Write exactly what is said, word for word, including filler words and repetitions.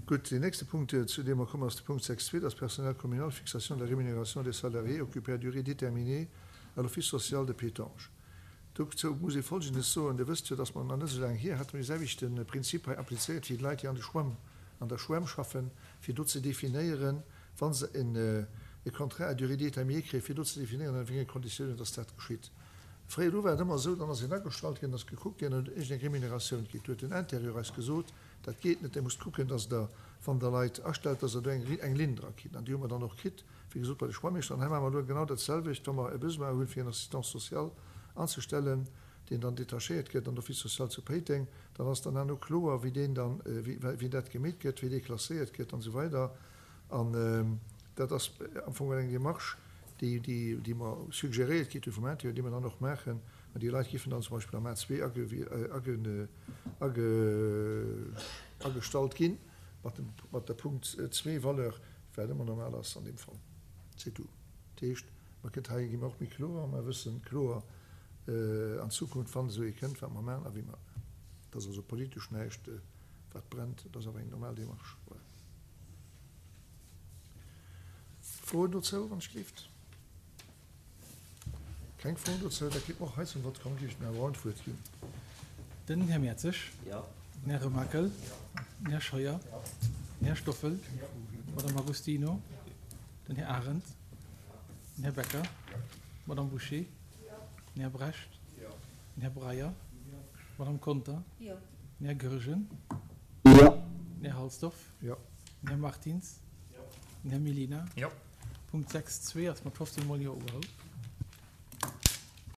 Gutt, deen nächste Punkt, zu deem mer kommen, ass de Punkt sechs zwee, dat ass Personnel communal, Fixation de la rémunération des salariés occupés à durée déterminée à l'Office social de Pétange. Dozou muss ee Folgendes soen, Dir wësst jo, dass mer nach net esou laang hier hate mer dee selwechte Prinzip hei applizéiert fir déi Leit, déi an de Schwämm, an der Schwämm schaffen, fir do ze definéieren, wa se en e Contrat à durée déterminée kréien, fir do ze definéieren, ënner wéi enge Konditiounen dass dat geschitt. Fréier do war et ëmmer esou, dann ass een agestallt ginn, ass gekuckt ginn, huet iergendeng Remuneratioun kritt. Do huet den Intérieur eis gesot, dat geet net, Dir musst kucken, dass Der, wann Der Leit astellt, dass Der do eng, eng Linn dra kritt. An déi hu mer dann och kritt, wéi gesot, bei de Schwammeeschter. An hei maache mer elo genau dat selwecht, wa mer e Besoin hunn, fir en Assistant social anzestellen, deen dann detachéiert gëtt an d'Office social zu Péiteng, dann ass dann herno kloer, wéi deen dann, wéi, wéi dat gemeet gëtt, wéi dee klasséiert gëtt an esou weider. An dat ass am Fong eng Démarche, déi, déi, déi mer suggeréiert kritt hu vum Intérieur, déi mer dann och maachen. An déi Leit géifen dann zum Beispill am A zwee age, age, age, agestallt ginn, mat dem, mat der Punkt zwee Valeur, wat ëmmer normal ass an deem Fall. C'est tout. Dat heescht, mer kënnt hei gi mer och méi kloer, mer wëssen kloer an Zukunft, wann esou ee kënnt, wat mer maachen a wéi mer et maachen. Dat ass also politesch näischt, wat brennt, dat ass awer eng normal Démarche. Voilà. Froen dozou, wann ech gleeft? Keng Froen dozou? Da kéint mer och hei zum Vott kommen. Géif ech dem Här Braun d'Wuert ginn. Den Här Mertzig. Den Här Remakel. Den Här Scheuer. Den Här Stoffel. D'Madame Agostino. Den Här Arendt. Den Här Becker. D'Madame Bouché. Den Här Brecht. Den Här Breyer. D'Madame Conter. Den Här Goergen. Den Här Halsdorf. Den Här Martins. Den Här Mellina. Punkt sechs zwee ass mat fofzéng mol Jo ugeholl.